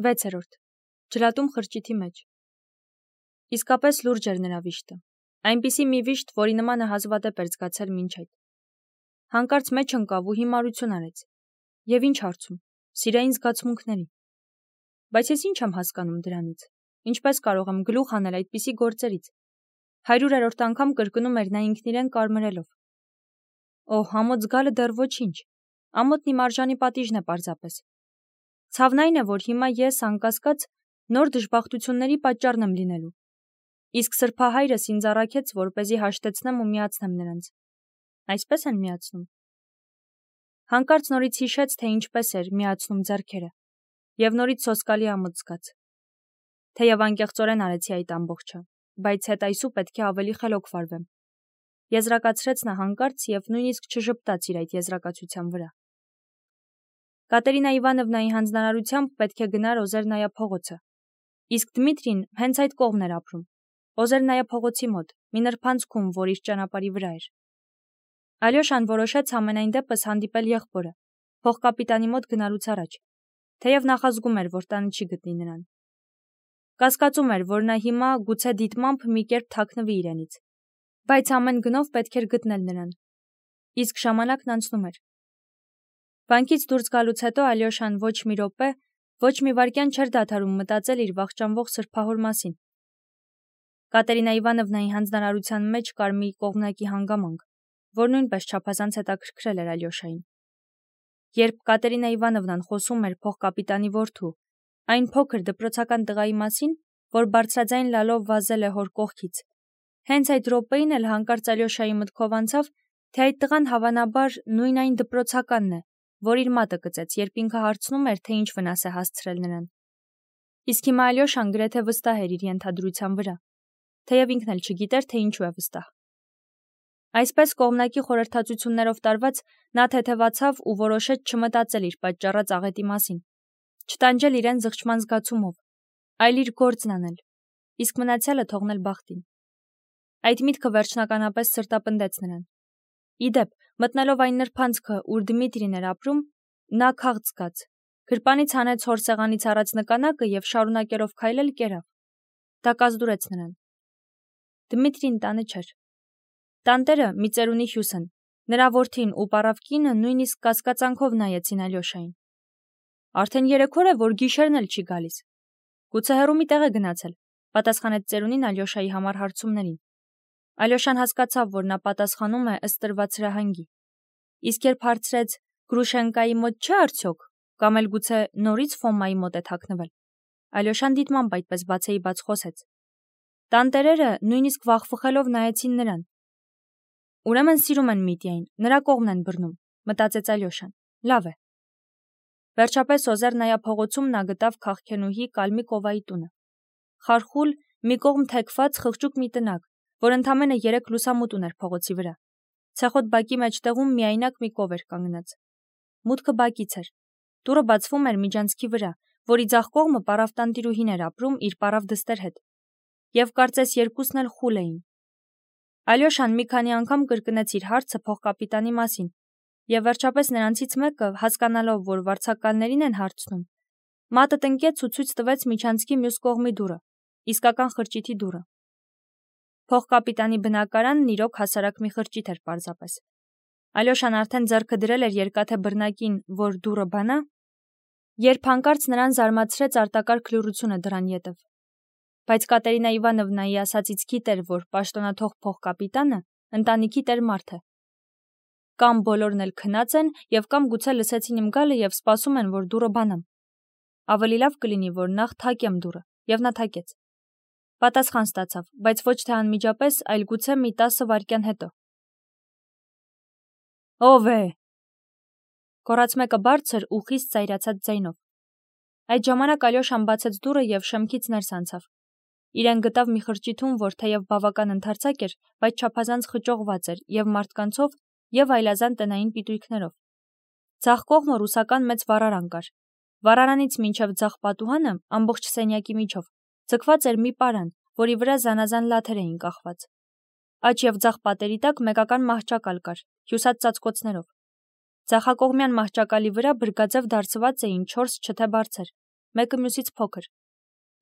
6. Ջրատում խրճիթի մեջ։ Իսկապես լուրջ էր նրա վիշտը, այնպիսի մի վիշտ, որի նմանը հազվադեպ էր զգացել մինչ այդ։ Հանկարծ մեջ ընկավ ու հիմարություն արեց։ Եվ ինչ հարցում, սիրային զգացմունքների։ Բայց ես ինչ եմ հասկանում դրանից, ինչպես կարող եմ գլուխ հանել այդպիսի գործերից։ 100-րդ անգամ կրկնում էր նա ինքն իրեն կարմրելով։ Օհ, ամոթ զգալը դեռ ոչինչ, ամոթն իմ արժանի պատիժն է պարզապես։ Ցավն այն է, որ հիմա ես, անկասկած, նոր դժբախտությունների պատճառն եմ լինելու։ Իսկ սրբահայրս ինձ առաքեց, որպեսզի հաշտեցնեմ ու միացնեմ նրանց։ Այսպես են միացնում։ Հանկարծ նորից հիշեց, թե ինչպես էր միացնում ձեռքերը, և նորից սոսկալի ամոթ զգաց։ Թեև անկեղծորեն արեցի այդ ամբողջը, բայց հետայսու պետք է ավելի խելոք վարվեմ։ Եզրակացրեց նա հանկարծ և նույնիսկ չժպտաց իր այդ եզրակացության վրա։ Կատերինա Իվանովնայի հանձնարարությամբ պետք է գնար Օզերնայա փողոցը, իսկ Դմիտրին հենց այդ կողմն էր ապրում, Օզերնայա փողոցի մոտ, մի նրբանցքում, որ իր ճանապարհի վրա էր։ Ալյոշան որոշեց համենայն դեպս հանդիպել եղբորը, փողկապիտանի մոտ գնալուց առաջ, թեև նախազգում էր, որ տանը չի գտնի նրան։ Կասկածում էր, որ նա հիմա գուցե դիտմամբ մի կերպ թաքնվի իրենից, բայց ամեն գնով պետք էր գտնել նրան։ Իսկ ժամանակն անցնում էր։ Բանկից դուրս գալուց հետո Ալյոշան ոչ մի րոպե, ոչ մի վայրկյան չէր դադարում մտածել իր վախճանվող սրբահոր մասին։ Կատերինա Իվանովնայի հանձնարարության մեջ կար մի կողմնակի հանգամանք, որ նույնպես չափազանց հետաքրքրել էր Ալյոշային։ Երբ Կատերինա Իվանովնան խոսում էր փողկապիտանի որդու, այն փոքր դպրոցական տղայի մասին, որ բարձրաձայն լալով վազել է հոր կողքից, հենց այդ րոպեին էլ հանկարծ Ալյոշայի մտքով անցավ, թե այդ տղան հավանաբար նույն այն դպրոցականն է, որ իր մատը կծեց, երբ ինքը հարցնում էր, թե ինչ վնաս է հասցրել նրան։ Իսկ հիմա Ալյոշան գրեթե վստահ էր իր ենթադրության վրա, թեև ինքն էլ չգիտեր, թե ինչու է վստահ։ Այսպես կողմնակի խորհրդածություններով տարված նա թեթևացավ ու որոշեց չմտածել իր պատճառած աղետի մասին, չտանջել իրեն զղջման զգացումով, այլ իր գործն անել, իսկ մնացյալը թողնել բախտին։ Այդ միտքը վերջնականապես սրտապնդեց նրան։ Իդեպ, մտնելով այն նրբանցքը, ուր Դմիտրին էր ապրում, նա քաղց զգաց, գրպանից հանեց հոր սեղանից առած նկանակը և շարունակելով քայլել կերավ։ Դա կազդուրեց նրան։ Դմիտրին տանը չէր։ Տանտերը մի ծերունի հյուսն, նրա որդին ու պառավ կինը նույնիսկ կասկածանքով նայեցին Ալյոշային։ Արդեն 3 օր է, որ գիշերն էլ չի գալիս։ Գուցե հեռու մի տեղ է գնացել, պատասխանեց ծերունին Ալյոշայի համար հարցումներին։ Ալյոշան հասկացավ, որ նա պատասխանում է ըստ տրված հրահանգի։ Իսկ երբ հարցրեց Գրուշենկայի մոտ չէ արդյոք, կամ էլ գուցե նորից Ֆոմայի մոտ է թաքնվել, Ալյոշան դիտմամբ այդպես բացեի բաց խոսեց։ Տանտերերը նույնիսկ վախվխելով նայեցին նրան։ Ուրեմն սիրում են Միտյային, նրա կողմն են բռնում, մտածեց Ալյոշան։ Լավ է։ Վերջապես Օզերնայա փողոցում նա գտավ քաղքենուհի Կալմիկովայի տունը։ Խարխուլ, մի կողմ թեքված խղճուկ մի տնակ, որ ընդամենը 3 լուսամուտ ուներ փողոցի վրա։ Ցեխոտ բակի մեջտեղում միայնակ մի կով էր կանգնած։ Մուտքը բակից էր։ Դուռը բացվում էր միջանցքի վրա, որի ձախ կողմը պառավ տանտիրուհին էր ապրում իր պառավ դստեր հետ։ Եվ կարծես երկուսն էլ խուլ էին։ Ալյոշան մի քանի անգամ կրկնեց իր հարցը փողկապիտանի մասին, և վերջապես նրանցից մեկը, հասկանալով, որ վարձակալներին են հարցնում, մատը տնկեց ու ցույց տվեց միջանցքի մյուս կողմի դուռը, իսկական խրճիթի դուռը։ Փողկապիտանի բնակարանն իրոք հասարակ մի խրճիթ էր պարզապես։ Ալյոշան արդեն ձեռքը դրել էր երկաթե բռնակին, որ դուռը բանա, երբ հանկարծ նրան զարմացրեց արտակարգ լռությունը դռան ետև։ Բայց Կատերինա Իվանովնայի ասածից գիտեր, որ պաշտոնաթող փողկապիտանը ընտանիքի տեր մարդ է։ Կամ բոլորն էլ քնած են և կամ գուցե լսեցին իմ գալը և սպասում են, որ դուռը բանամ։ Ավելի լավ կլինի, որ նախ թակեմ դուռը, և նա թակեց։ Պատասխան ստացավ, բայց ոչ թե անմիջապես, այլ գուցե մի 10 վայրկյան հետո։ Ո՞վ է։ Գոռաց մեկը բարձր ու խիստ ծայրացած ձայնով։ Այդ ժամանակ Ալյոշան բացեց դուռը և շեմքից ներս անցավ։ Իրեն գտավ մի խրճիթում, որ թեև բավական ընդարձակ էր, բայց չափազանց խճողված էր և մարդկանցով, և այլազան տնային պիտույքներով։ Ձախ կողմը ռուսական մեծ վառարան կար։ Վառարանից մինչև ձախ պատուհանը, ամբողջ սենյակի միջով, ձգված էր մի պարան, որի վրա զանազան լաթեր էին կախված։ Աջ և ձախ պատերի տակ մեկական մահճակալ կար, հյուսած ծածկոցներով։ Ձախակողմյան մահճակալի վրա բրգաձև դարսված էին 4 չթե բարձեր, մեկը մյուսից փոքր,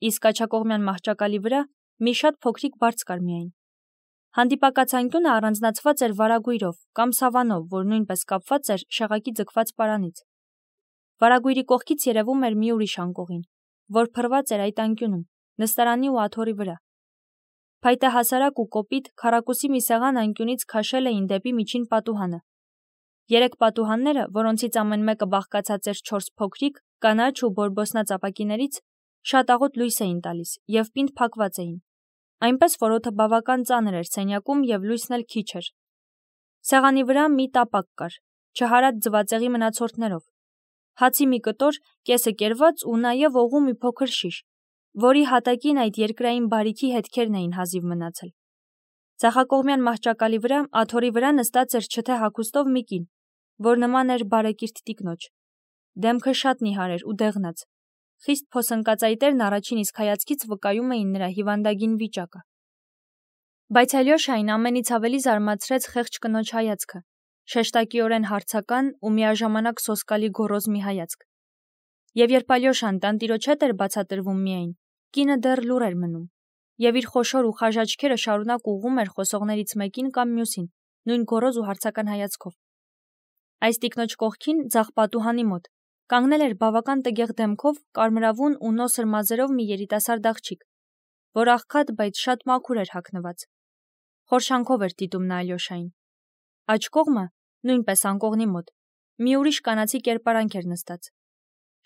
իսկ աջակողմյան մահճակալի վրա մի շատ փոքրիկ բարձ կար միայն։ Հանդիպակաց անկյունը առանձնացված էր վարագույրով կամ սավանով, որ նույնպես կապված էր շեղակի ձգված պարանից։ Վարագույրի կողքից երևում էր մի ուրիշ անկողին, որ փռված էր այդ անկյունում, նստարանի ու աթոռի վրա։ Փայտե հասարակ ու կոպիտ քառակուսի մի սեղան անկյունից քաշել էին դեպի միջին պատուհանը։ Երեք պատուհանները, որոնցից ամեն մեկը բաղկացած էր 4 փոքրիկ, կանաչ ու բորբոսնած ապակիներից, շատ աղոտ լույս էին տալիս և պինդ փակված էին, այնպես որ օդը բավական ծանր էր սենյակում և լույսն էլ քիչ էր։ Սեղանի վրա մի տապակ կար, չհարած ձվածեղի մնացորդներով, հացի մի կտոր, կեսը կերված ու նաև օղու մի փոքր շիշ, որի հատակին այդ երկրային բարիքի հետքերն էին հազիվ մնացել։ Ձախակողմյան մահճակալի վրա, աթոռի վրա նստած էր չթե հագուստով մի կին, որ նման էր բարեկիրթ տիկնոջ։ Դեմքը շատ նիհար էր ու դեղնած։ Խիստ փոսնկած այտերն առաջին իսկ հայացքից վկայում էին նրա հիվանդագին վիճակը։ Բայց Ալյոշային ամենից ավելի զարմացրեց խեղճ կնոջ հայացքը, շեշտակիորեն հարցական ու միաժամանակ սոսկալի գոռոզ մի հայացք։ Եվ երբ Ալյոշան տանտիրոջ հետ էր բացատրվում միայն, կինը դեռ լուռ էր մնում, և իր խոշոր ու խաժ աչքերը շարունակ ուղղում էր խոսողներից մեկին կամ մյուսին, նույն գոռոզ ու հարցական հայացքով։ Այս տիկնոջ կողքին, ձախ պատուհանի մոտ, կանգնել էր բավական տգեղ դեմքով, կարմրավուն ու նոսր մազերով մի երիտասարդ աղջիկ, որ աղքատ, բայց շատ մաքուր էր հագնված։ Խորշանքով էր դիտում նա Ալյոշային։ Աջ կողմը, նույնպես անկողնի մոտ, մի ուրիշ կանացի կերպարանք էր նստած։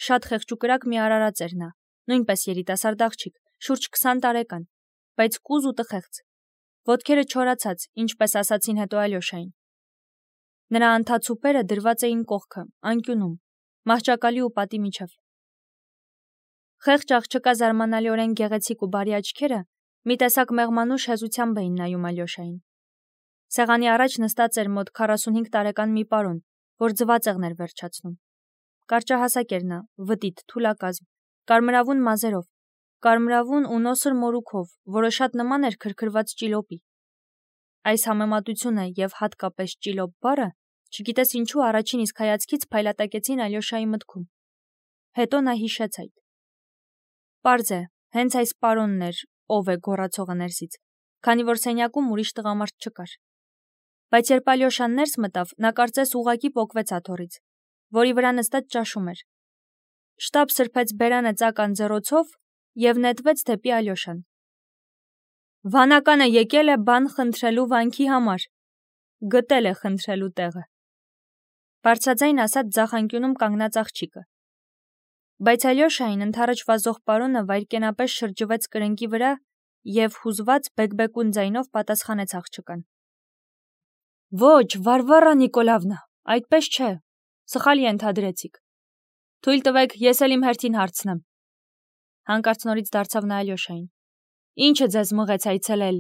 Շատ խեղճ ու կրակ մի արարած էր նա, նույնպես երիտասարդ աղջիկ, շուրջ 20 տարեկան, բայց կուզ ու տխեղծ։ Ոտքերը չորացած, ինչպես ասացին հետո Ալյոշային։ Նրա անթաց ուպերը դրված էին կողքը, անկյունում, մահճակալի ու պատի միջև։ Խեղճ աղջկա զարմանալիորեն գեղեցիկ ու բարի աչքերը մի տեսակ մեղմանուշ հեզությամբ էին նայում Ալյոշային։ Սեղանի առաջ նստած էր մոտ 45 տարեկան մի պարոն, որ ձվածեղն էր վերջացնում։ Կարճահասակ էր նա, վտիտ, թուլակազմ, կարմրավուն մազերով, կարմրավուն ու նոսր մորուքով, որը շատ նման էր քրքրված ճիլոպի։ Այս համեմատությունը և հատկապես ճիլոպ բառը, չգիտես ինչու առաջին իսկ հայացքից փայլատակեցին Ալյոշայի մտքում։ Հետո նա հիշեց այդ։ Պարզ է, հենց այս պարոնն էր, ով է գոռացողը ներսից, քանի որ սենյակում ուրիշ տղամարդ չկար։ Բայց երբ Ալյոշան ներս մտավ, նա կարծես ուղղակի պոկվեց աթոռից, որի վրա նստած ճաշում էր։ Շտապ սրբեց բերանը ծակ անձեռոցով և նետվեց դեպի Ալյոշան։ Վանականը եկել է բան խնդրելու վանքի համար, գտել է խնդրելու տեղը, բարձրաձայն ասաց ձախ անկյունում կանգնած աղջիկը։ Բայց Ալյոշային ընդառաջ վազող պարոնը վայրկենապես շրջվեց կրնկի վրա և հուզված բեկբեկուն ձայնով պատասխանեց աղջկան. Ոչ, Վարվարա Նիկոլավնա, այդպես չէ, սխալ ենթադրեցիք։ Թույլ տվեք, ես էլ իմ հերթին հարցնեմ։ Հանկարծ նորից դարձավ նա Ալյոշային. Ինչը ձեզ մղեց այցելել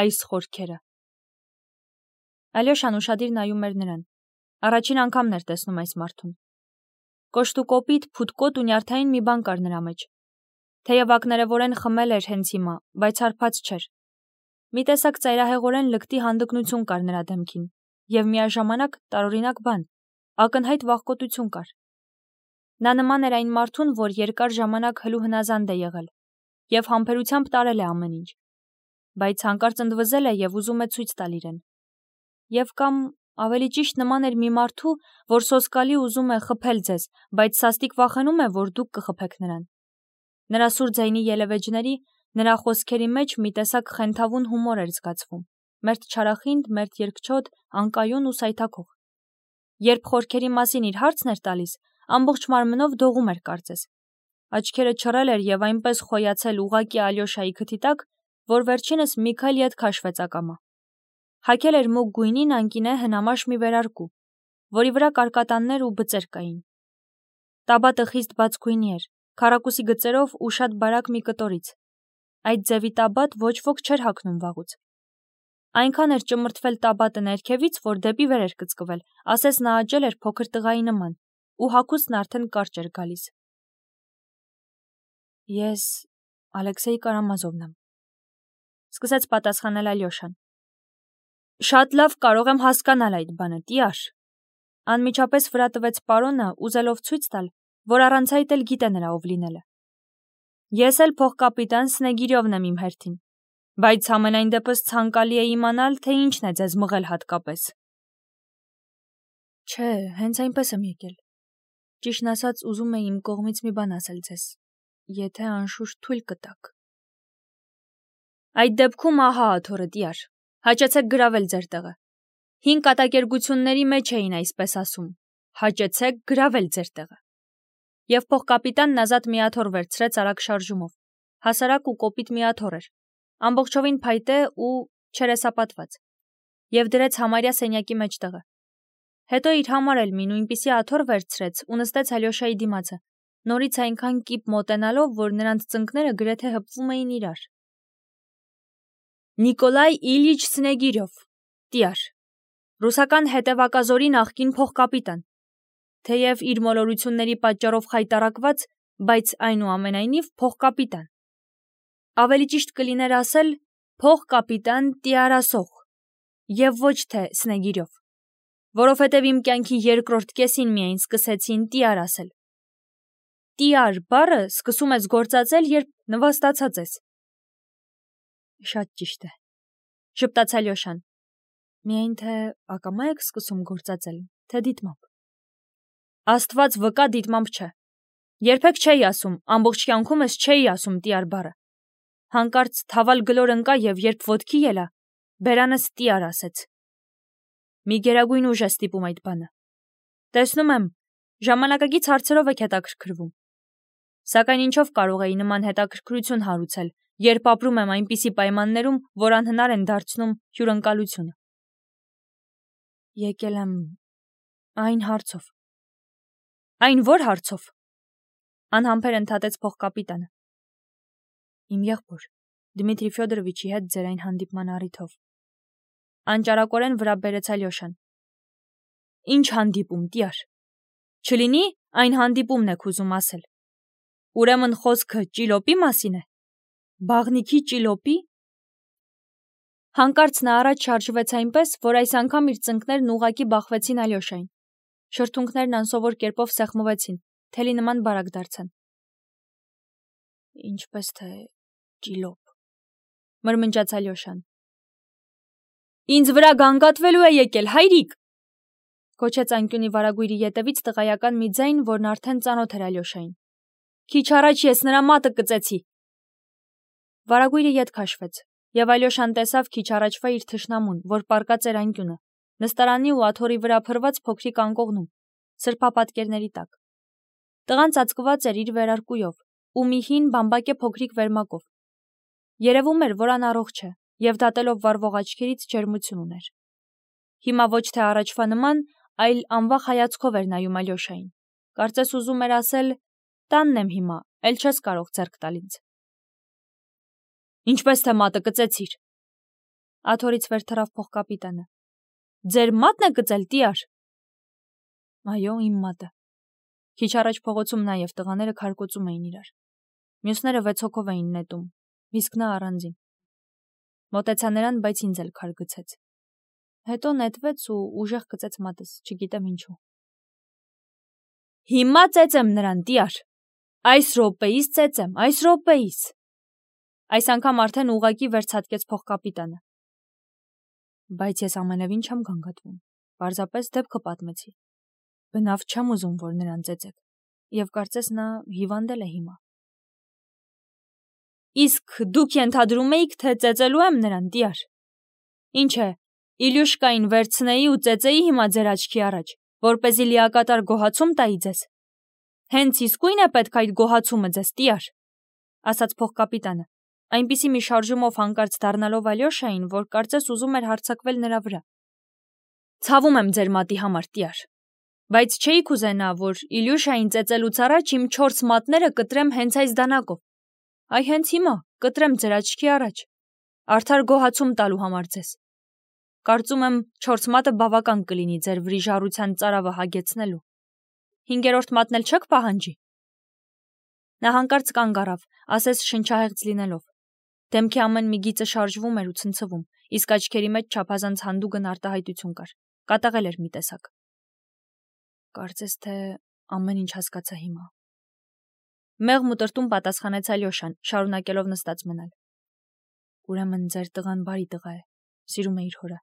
այս խորքերը։ Ալյոշան ուշադիր նայում էր նրան։ Առաջին անգամն էր տեսնում այս մարդուն։ Կոշտուկոպիտ, փութկոտ ու նյարդային մի բան կար նրա մեջ։ Թեև ակներևորեն խմել էր հենց հիմա, բայց հարբած չէր։ Մի տեսակ ծայրահեղորեն լկտի հանդգնություն կար նրա դեմքին, և միաժամանակ տարօրինակ բան, ակնհայտ վախկոտություն կար։ Նա նման էր այն մարդուն, որ երկար ժամանակ հլու հնազանդ է եղել, և համբերությամբ տարել է ամեն ինչ, բայց հանկարծ ընդվզել է և ուզում է ցույց տալ իրեն։ Եվ կամ ավելի ճիշտ նման էր մի մարդու, որ սոսկալի ուզում է խփել ձեզ, բայց սաստիկ վախենում է, որ դուք կխփեք նրան։ Նրա սուր ձայնի ելևէջների, նրա խոսքերի մեջ մի տեսակ խենթավուն հումոր էր զգացվում, մերթ չարախինդ, մերթ երկչոտ, անկայուն ու սայթաքող։ Երբ խորքերի մասին իր հարցն էր տալիս, ամբողջ մարմնով դողում էր կարծես։ Աչքերը չռել էր և այնպես խոյացել ուղղակի Ալյոշայի քթի տակ, որ վերջինս մի քայլ ետ քաշվեց ակամա։ Հագել էր մուգ գույնին անկինե հնամաշ մի վերարկու, որի վրա կարկատաններ ու բծեր կային։ Տաբատը խիստ բաց գույնի էր, քառակուսի գծերով ու շատ բարակ մի կտորից։ Այդ ձևի տաբատ ոչ ոք չէր հագնում վաղուց։ Այնքան էր ճմրթվել տաբատը ներքևից, որ դեպի վեր էր կծկվել, ասես նա աճել էր փոքր տղայի նման, ու հագուստն արդեն կարճ էր գալիս։ Ես Ալեքսեյ Կարամազովն եմ, սկսեց պատասխանել Ալյոշան։ Շատ լավ կարող եմ հասկանալ այդ բանը, տյար։ Անմիջապես վրա տվեց պարոնը, ուզելով ցույց տալ, որ առանց այդ էլ գիտե նրա ով լինելը։ Ես էլ փոխկապիտան Սնեգիրովն եմ իմ հերթին, բայց ամենայն դեպս ցանկալի է իմանալ, թե ինչն է ձեզ մղել հատկապես։ Չէ, հենց այնպես եմ եկել։ Ճիշտն ասած, ուզում էի իմ կողմից մի բան ասել ձեզ, եթե անշուշտ թույլ կտաք։ Այդ դեպքում ահա աթոռը դիար, հաճեցեք գրավել ձեր տեղը։ 5 կատակերգությունների մեջ էին այսպես ասում, հաճեցեք գրավել ձեր տեղը։ Եվ փոխկապիտանն ազատ մի աթոռ վերցրեց արագ շարժումով, հասարակ ու կոպիտ մի աթոռ էր, ամբողջովին փայտե ու չերեսապատված, եւ դրեց համարյա սենյակի մեջտեղը։ Հետո իր համար էլ մի նույնպիսի աթոռ վերցրեց ու նստեց Ալյոշայի դիմացը, նորից այնքան կիպ մոտենալով, որ նրանց ծնկները գրեթե հպվում էին իրար։ Նիկոլայ Իլյիչ Սնեգիրով, տիար, ռուսական հետևակազորի նախկին փոխկապիտան, թեև իր մոլորությունների պատճառով խայտառակված, բայց այնուամենայնիվ փոխկապիտան։ Ավելի ճիշտ կլիներ ասել փոխկապիտան տիարասող, եւ ոչ թե Սնեգիրով, որովհետև իմ կյանքի երկրորդ կեսին միայն սկսեցին տիար ասել։ Տիար բառը սկսում ես գործածել, երբ նվաստացած ես։ Շատ ճիշտ է, շպտաց Ալյոշան։ Միայն թե ակամա եք սկսում գործածել, թե դիտմամբ։ Աստված վկա, դիտմամբ չէ։ Երբեք չէի ասում, ամբողջ կյանքումս չէի ասում տիար բառը։ Հանկարծ թավալ գլոր ընկա եւ երբ ոտքի ելա, բերանս տիար ասեց։ Մի գերագույն ուժ է ստիպում այդ բանը։ Տեսնում եմ, ժամանակակից հարցերով եք հետաքրքրվում։ Սակայն ինչով կարող էի նման հետաքրքրություն հարուցել, երբ ապրում եմ այնպիսի պայմաններում, որ անհնար են դարձնում հյուրընկալությունը։ Եկել եմ այն հարցով։ Այն որ հարցով։ Անհամբեր ընդհատեց փոխկապիտանը։ Իմ եղբոր Դմիտրի Ֆյոդորովիչի հետ ձեր այն հանդիպման առիթով։ Անճարակորեն վրա բերեց Ալյոշան։ Ինչ հանդիպում, տիար։ Չլինի այն հանդիպումն եք ուզում ասել։ Ուրեմն խոսքը ճիլոպի մասին է։ Բաղնիքի ճիլոպի։ Հանկարծ նա առաջ շարժվեց այնպես, որ այս անգամ իր ծնկներն ուղղակի բախվեցին Ալյոշային։ Շրթունքներն անսովոր կերպով սեղմվեցին, թելի նման բարակ դարձան։ Ինչպես թե ճիլոպ, մրմնջաց Ալյոշան։ Ինձ վրա գանգատվելու է եկել, հայրիկ, կոչեց անկյունի վարագույրի ետևից տղայական մի ձայն, որն արդեն ծանոթ էր Ալյոշային։ Քիչ առաջ ես նրա մատը կծեցի։ Վարագույրը ետ քաշվեց, եւ Ալյոշան տեսավ քիչ առաջվա իր թշնամուն, որ պառկած էր անկյունը, նստարանի ու աթոռի վրա փռված փոքրիկ անկողնում, սրբապատկերների տակ։ Տղան ծածկված էր իր վերարկուով ու մի հին բամբակե փոքրիկ վերմակով։ Երևում էր, որ անառողջ է, եւ դատելով վառվող աչքերից ջերմություն ուներ։ Հիմա ոչ թե առաջվա նման, այլ անվախ հայացքով էր նայում Ալյոշային։ Կարծես ուզում էր ասել. տանն եմ հիմա, էլ չես կարող ձեռք տալ ինձ։ Ինչպես թե մատը կծեցիր։ Աթոռից վեր թռավ փոխկապիտանը։ Ձեր մատն է կծել, տիար։ Այո, իմ մատը։ Քիչ առաջ փողոցում նաեւ տղաները քարկոծում էին իրար։ Մյուսները 6 հոգով էին նետում, իսկ նա առանձին։ Մոտեցա նրան, բայց ինձ էլ քար գցեց։ Հետո նետվեց ու ուժեղ գծեց մատս, չգիտեմ ինչու։ Հիմա ծեծեմ նրան, տիար։ Այս րոպեիս ծեծեմ, այս րոպեիս։ Այս անգամ արդեն ուղակի վերցատկեց փոխկապիտանը։ Բայց ես ամենևին չեմ գանգատվում, պարզապես դեպքը պատմեցի։ Բնավ չեմ ուզում, որ նրան ծեծեք, եւ կարծես նա հիվանդել է հիմա։ Իսկ դուք ենթադրում էիք, թե ծեծելու եմ նրան, տիար։ Ինչ է, Իլյուշկային վերցնեի ու ծեծեի հիմա ձեր աչքի առաջ, որպեսզի լիակատար գոհացում տայի ձեզ։ Հենց իսկույն է պետք այդ գոհացումը ձեզ, տիար, ասաց փոխկապիտանը, այնպիսի մի շարժումով հանկարծ դառնալով Ալյոշային, որ կարծես ուզում էր հարձակվել նրա վրա։ Ցավում եմ ձեր մատի համար, տիար, բայց չէի կուզենա, որ Իլյուշային ծեծելուց առաջ իմ 4 մատները կտրեմ հենց այս դանակով։ Այ հենց հիմա կտրեմ ձեր աչքի առաջ, արդար գոհացում տալու համար ձեզ։ Կարծում եմ 4 մատը բավական կլինի ձեր վրիժառության ծարավը հագեցնելու։ 5-րդ մատն էլ չեք պահանջի։ Նա հանկարծ կանգ առավ, ասես շնչահեղձ լինելով։ Դեմքի ամեն մի գիծը շարժվում էր ու ցնցվում, իսկ աչքերի մեջ չափազանց հանդուգն արտահայտություն կար։ Կատաղել էր մի տեսակ։ Կարծես թե ամեն ինչ հասկացա հիմա։ Մեղմ ու տրտում պատասխանեց Ալյոշան, շարունակելով նստած մնալ։ Ուրեմն ձեր տղան բարի տղա է, սիրում է իր հորը,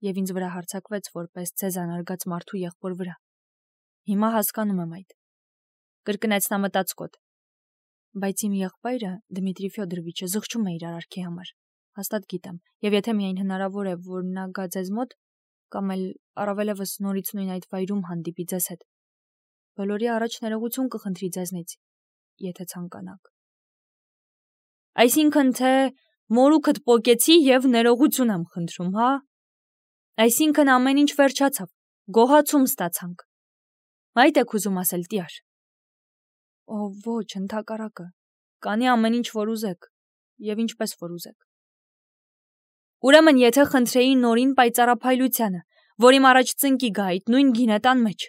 եւ ինձ վրա հարձակվեց որպես ցեզան արգած մարդու եղբոր վրա։ Հիմա հասկանում եմ այդ։ Կրկնեց նա մտածկոտ։ Բայց իմ եղբայրը Դմիտրի Ֆյոդորովիչը զղջում է իր արարքի համար։ Հաստատ գիտեմ, եւ եթե միայն հնարավոր է, որ նա գա ձեզ մոտ, կամ էլ առավելևս նորից նույն այդ վայրում հանդիպի ձեզ հետ, բոլորի առաջ ներողություն կխնդրի ձեզնից, եթե ցանկանաք։ Այսինքն թե մորուքդ պոկեցի եւ ներողություն եմ խնդրում, հա։ Այսինքն ամեն ինչ վերջացավ, գոհացում ստացանք։ Այդ եք ուզում ասել, տյար։ Ո ոչ, ընդհակառակը, կանի ամեն ինչ, որ ուզեք, եւ ինչպես որ ուզեք։ Ուրեմն եթե խնդրեի նորին պայծառափայլությանը, որ իմ առաջ ծնկի գա այդ նույն գինետան մեջ։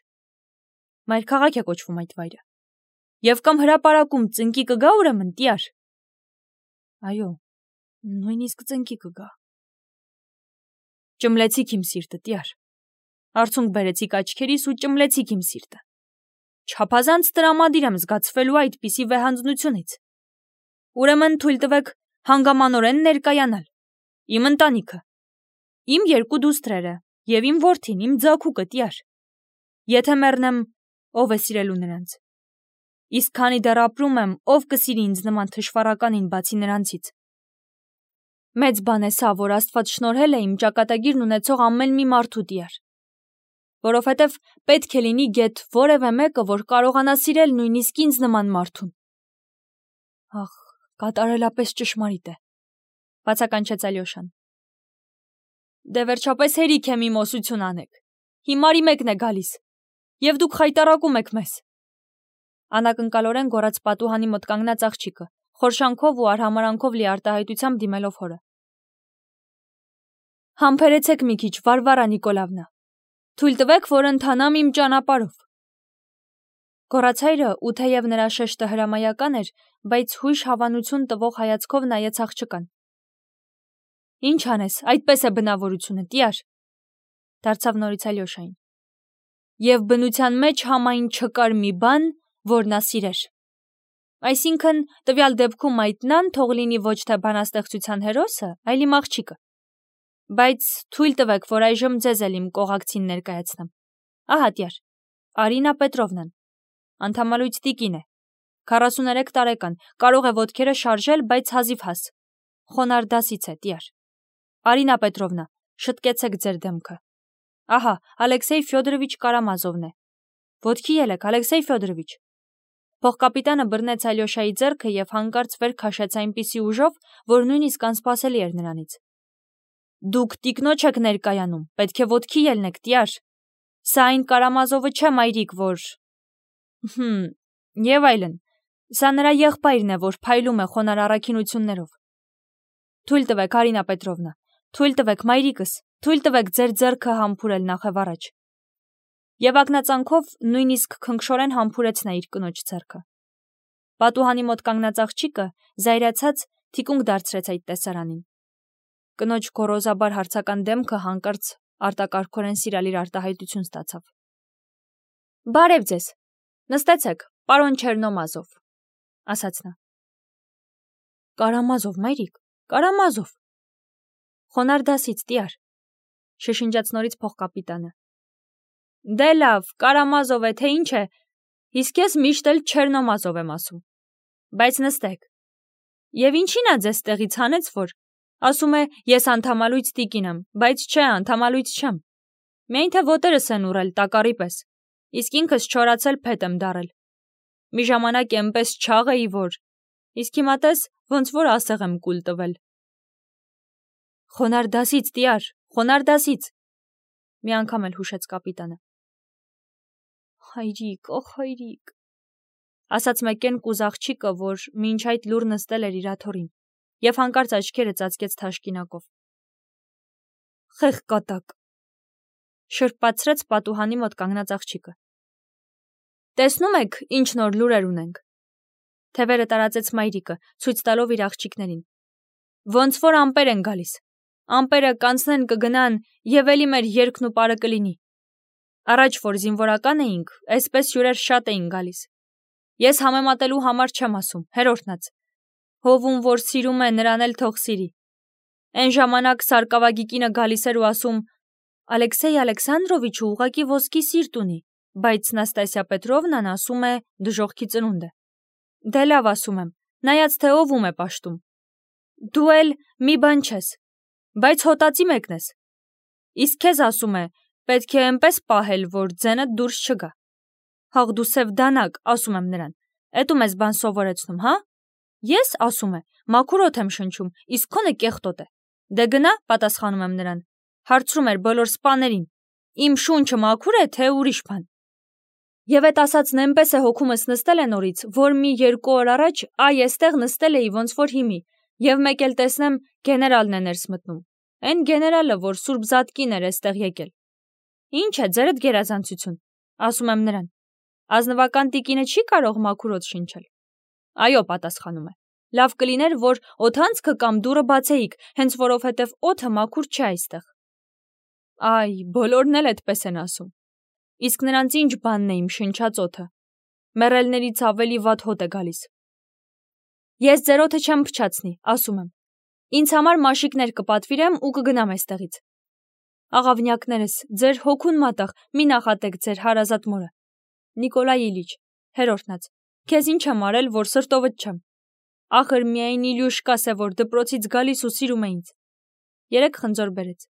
Մայրքաղաք է կոչվում այդ վայրը։ Եվ կամ հրապարակում ծնկի կգա ուրեմն, տյար։ Այո, նույնիսկ ծնկի կգա։ Ճմլեցիք իմ սիրտը, տյար։ Արցունք բերեցիք աչքերիս ու ճմլեցիք իմ սիրտը։ Չափազանց տրամադիր եմ զգացվելու այդպիսի վեհանձնությունից։ Ուրեմն թույլ տվեք հանգամանորեն ներկայանալ։ Իմ ընտանիքը, իմ երկու դուստրերը եւ իմ որդին, իմ ձագուկը, տյար։ Եթե մեռնեմ, ով է սիրելու նրանց։ Իսկ քանի դեռ ապրում եմ, ով կսիրի ինձ նման թշվառականին բացի նրանցից։ Մեծ բան է սա, որ Աստված շնորհել է իմ ճակատագիրն ունեցող ամեն մի մարդու, տյար։ Որովհետև պետք է լինի գեթ որևէ մեկը, որ կարողանա սիրել նույնիսկ ինձ նման մարդուն։ Ախ, կատարելապես ճշմարիտ է, բացականչեց Ալյոշան։ Դե վերջապես հերիք եմ իմ ոսություն անեք։ Հիմարի մեկն է գալիս, եւ դուք խայտարակում եք մեզ։ Անակնկալորեն գոռաց պատուհանի մոտ կանգնած աղջիկը, խորշանքով ու արհամարանքով լի արտահայտությամբ դիմելով հորը։ Համբերեցեք մի քիչ, Վարվարա Նիկոլավնա։ Թույլ տվեք, որ ընթանամ իմ ճանապարհով։ Գոռաց հայրը, ու թեև նրա շեշտը հրամայական էր, բայց հույժ հավանություն տվող հայացքով նայեց աղջկան։ Ինչ անես, այդպես է բնավորությունը, տյար, դարձավ նորից Ալյոշային։ Եվ բնության մեջ համայն չկար մի բան, որ նա սիրեր։ Այսինքն, տվյալ դեպքում այդ նան թող լինի ոչ թե բանաստեղծության հերոսը, այլ իմ աղջիկը։ Բայց թույլ տվեք, որ այժմ ձեզ էլ իմ կողակցին ներկայացնեմ։ Ահա տյար, Արինա Պետրովնան, անդամալույց տիկին է, 43 տարեկան, կարող է ոտքերը շարժել, բայց հազիվ հաս։ Խոնար դասից է, տյար։ Արինա Պետրովնա, շտկեցեք ձեր դեմքը։ Ահա, Ալեքսեյ Ֆյոդորովիչ Կարամազովն է։ Ոտքի ելեք, Ալեքսեյ Ֆյոդորովիչ։ Փոխկապիտանը բռնեց Ալյոշայի ձեռքը եւ հանկարծ վեր քաշեց այնպիսի ուժով, որ նույնիսկ անսպասելի էր նրանից։ Դուք տիկնոջ եք ներկայանում, պետք է ոտքի ելնեք, տյար։ Սա այն Կարամազովը չէ, մայրիկ, որ… Եվ այլն, սա նրա եղբայրն է, որ փայլում է խոնար առաքինություններով։ Թույլ տվեք, Արինա Պետրովնա, թույլ տվեք, մայրիկս, թույլ տվեք ձեր ձեռքը համբուրել նախև առաջ։ Եվ ակնածանքով նույնիսկ քնքշորեն համբուրեց նա իր կնոջ ձեռքը։ Պատուհանի մոտ կանգնած աղջիկը, զայրացած, թիկունք դարձրեց այդ տեսարանին։ Կնոջ գոռոզաբար հարցական դեմքը հանկարծ արտակարգորեն սիրալիր արտահայտություն ստացավ։ Բարև ձեզ, նստեցեք, պարոն Չերնոմազով, ասաց նա։ Կարամազով, մայրիկ, Կարամազով։ Խոնար դասից, տյար, շշնջաց նորից փոխկապիտանը։ Դե լավ, Կարամազով է, թե ինչ է, իսկ ես միշտ էլ Չերնոմազով եմ ասում։ Բայց նստեք։ Եվ ինչին է ձեզ տեղից հանեց, որ… Ասում է, ես անդամալույց տիկին եմ, բայց չէ, անդամալույց չեմ։ Միայն թե ոտերս են ուռել տակառի պես, իսկ ինքս չորացել փետ եմ դարել։ Մի ժամանակ էնպես չաղ էի, որ… Իսկ հիմա տես, ոնց որ ասեղ եմ կուլ տվել։ Խոնար դասից, տյար, խոնար դասից, մի անգամ էլ հուշեց կապիտանը։ Հայրիկ, օ հայրիկ, ասաց մեկեն կուզ աղջիկը, որ մինչ այդ լուռ նստել էր իր աթոռին, եւ հանկարծ աչքերը ծածկեց թաշկինակով։ Խեղ կատակ, շրպացրեց պատուհանի մոտ կանգնած աղջիկը։ Տեսնում եք, ինչ նոր լուրեր ունենք։ Թևերը տարածեց մայրիկը, ցույց տալով իր աղջիկներին։ Ոնց որ ամպեր են գալիս։ Ամպերը կանցնեն կգնան, եւ էլի մեր երգն ու պարը կլինի։ Առաջ որ զինվորական էինք, այսպես հյուրեր շատ էին գալիս։ Ես համեմատելու համար չեմ ասում, հերորդնաց։ Հովում, որ սիրում է, նրան էլ թող սիրի։ Այն ժամանակ Սարկավագիկինը գալիս էր ու ասում. Ալեքսեյ Ալեքսանդրովիչը ուղղակի ոսկի սիրտ ունի, բայց Նաստասիա Պետրովնան ասում է դժոխքի ծնունդ է։ Դե լավ ասում եմ, նայած թե ով է պաշտում։ Դու էլ մի բան չես, բայց հոտածի մեկն ես։ Իսկ քեզ ասում է, պետք է այնպես պահել, որ ձենդ դուրս չգա։ Հաղ դու սև դանակ, ասում եմ նրան, էդու մեզ բան սովորեցնում, հա։ Ես, ասում է, մաքուր օդ եմ շնչում, իսկ քոնը կեղտոտ է։ Դե գնա, պատասխանում եմ նրան, հարցրում էր բոլոր սպաներին, իմ շունչը մաքուր է, թե ուրիշ բան։ Եվ այդ ասածն այնպես է հոգումս նստել է նորից, որ մի 2 օր առաջ այ էստեղ նստել էի ոնց որ հիմի, եւ մեկ էլ տեսնեմ գեներալն է ներս մտնում։ Այն գեներալը, որ Սուրբ Զատկին էր էստեղ եկել։ Ինչ է, ձերդ գերազանցություն, ասում եմ նրան։ Ազնվական տիկինը չի կարող մաքուր օդ շնչել։ Այո, պատասխանում է։ Լավ կլիներ, որ օդանցքը կամ դուռը բացեիք, հենց որովհետև օդը մաքուր չէ այստեղ։ Այ, բոլորն էլ այդպես են ասում։ Իսկ նրանց ինչ բանն է իմ շնչած օդը։ Մեռելներից ավելի վատ հոտ է գալիս։ Ես ձեր օդը չեմ փչացնի, ասում եմ։ Ինձ համար մաշիկներ կպատվիրեմ ու կգնամ այստեղից։ Աղավնյակներս, ձեր հոգուն մատաղ, մի նախատեք ձեր հարազատ մորը։ Նիկոլայ Իլիչ, հերորդնաց, քեզ ինչ եմ արել, որ սրտովդ չեմ։ Ախր միայն Իլյուշկաս է, որ դպրոցից գալիս ու սիրում է ինձ։ 3 խնձոր բերեց։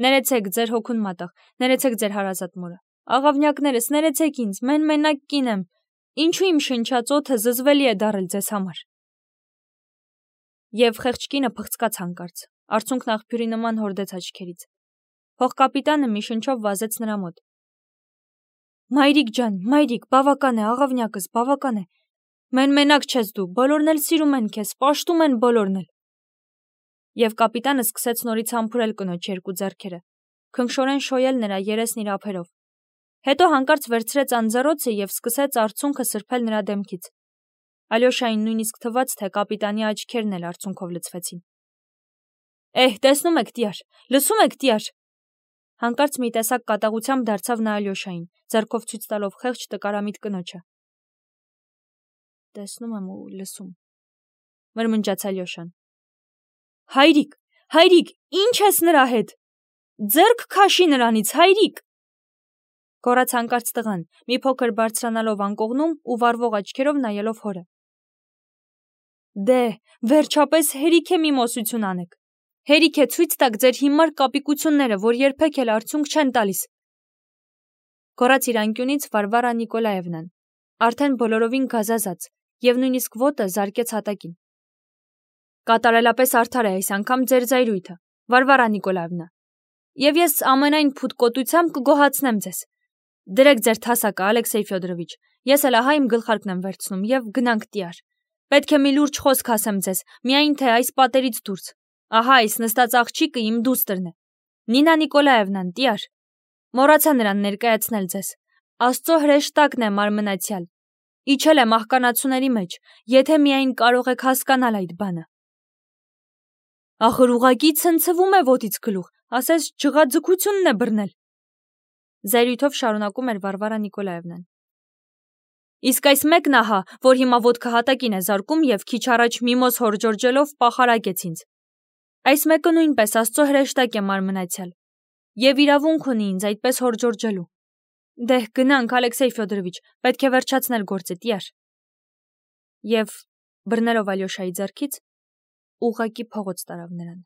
Ներեցեք ձեր հոգուն մատաղ, ներեցեք ձեր հարազատ մորը։ Աղավնյակներս, ներեցեք ինձ, մենակ կին եմ։ Ինչու իմ շնչած օդը զզվելի է դարել ձեզ համար։ Եվ խեղճ կինը փղծկաց հանկարծ, արցունքն աղբյուրի նման հորդեց աչքերից։ Փոխկապիտանը մի շնչով վազեց նրա մոտ։ Մայրիկ ջան, մայրիկ, բավական է, աղավնյակս, բավական է։ Մենակ չես դու, բոլորն էլ սիրում են քեզ, պաշտում են բոլորն էլ։ Եվ կապիտանը սկսեց նորից համբուրել կնոջ 2 ձեռքերը, քնքշորեն շոյել նրա երեսն իր ափերով։ Հետո հանկարծ վերցրեց անձեռոցը եւ սկսեց արցունքը սրբել նրա դեմքից։ Ալյոշային նույնիսկ թվաց, թե կապիտանի աչքերն էլ արցունքով լցվեցին։ Տեսնում եք, տյար, լսում եք, տյար։ Հանկարծ մի տեսակ կատաղությամբ դարձավ նա Ալյոշային, ձեռքով ցույց տալով խեղճ տկարամիտ կնոջը։ Տեսնում եմ ու լսում, մրմնջաց Ալյոշան։ Հայրիկ, ինչ ես նրա հետ։ Ձեռք քաշի նրանից, հայրիկ։ Գոռաց հանկարծ տղան, մի փոքր բարձրանալով անկողնում ու վառվող աչքերով նայելով հորը։ Դե, վերջապես հերիք է մի մոսություն անեք։ Հերիք է ցույց տաք ձեր հիմար կապիկությունները, որ երբեք էլ արդյունք չեն տալիս։ Գոռաց իր անկյունից Վարվարա Նիկոլաևնան, արդեն բոլորովին գազազած, եւ նույնիսկ ոտը զարկեց հատակին։ Կատարելապես արդար է այս անգամ ձեր զայրույթը, Վարվարա Նիկոլաևնա։ Եվ ես ամենայն փութկոտությամբ կգոհացնեմ ձեզ։ Դրեք ձեր թասակը, Ալեքսեյ Ֆյոդորովիչ, ես էլ ահա իմ գլխարկն եմ վերցնում եւ գնանք տյար։ Պետք է մի լուրջ խոսք ասեմ ձեզ, միայն թե այս պատերից դուրս։ Ահա այս նստած աղջիկը իմ դուստրն է։ Նինա Նիկոլաևնան, տյար։ Մոռացա նրան ներկայացնել ձեզ։ Աստծո հրեշտակն է մարմնացյալ։ Իջել է մահկանացուների մեջ, եթե միայն կարող եք հասկանալ այդ բանը։ Ախր ուղակի ցնցվում է ոտից գլուխ, ասես ջղաձգությունն է բռնել։ Զայրույթով շարունակում էր Վարվարա Նիկոլաևնան։ Իսկ այս մեկն ահա, որ հիմա ոտքը հատակին է զարկում եւ քիչ առաջ միմոզ հորջորջելով պախարակեց ինձ։ Այս մեկը նույնպես Աստծո հրեշտակ է մարմնացյալ եւ իրավունք ունի ինձ այդպես հորջորջելու։ Դե գնանք, Ալեքսեյ Ֆյոդորովիչ, պետք է վերջացնել գործը, տյար։ Եվ բռնելով Ալյոշայի ձեռքից ուղղակի փողոց տարավ նրան։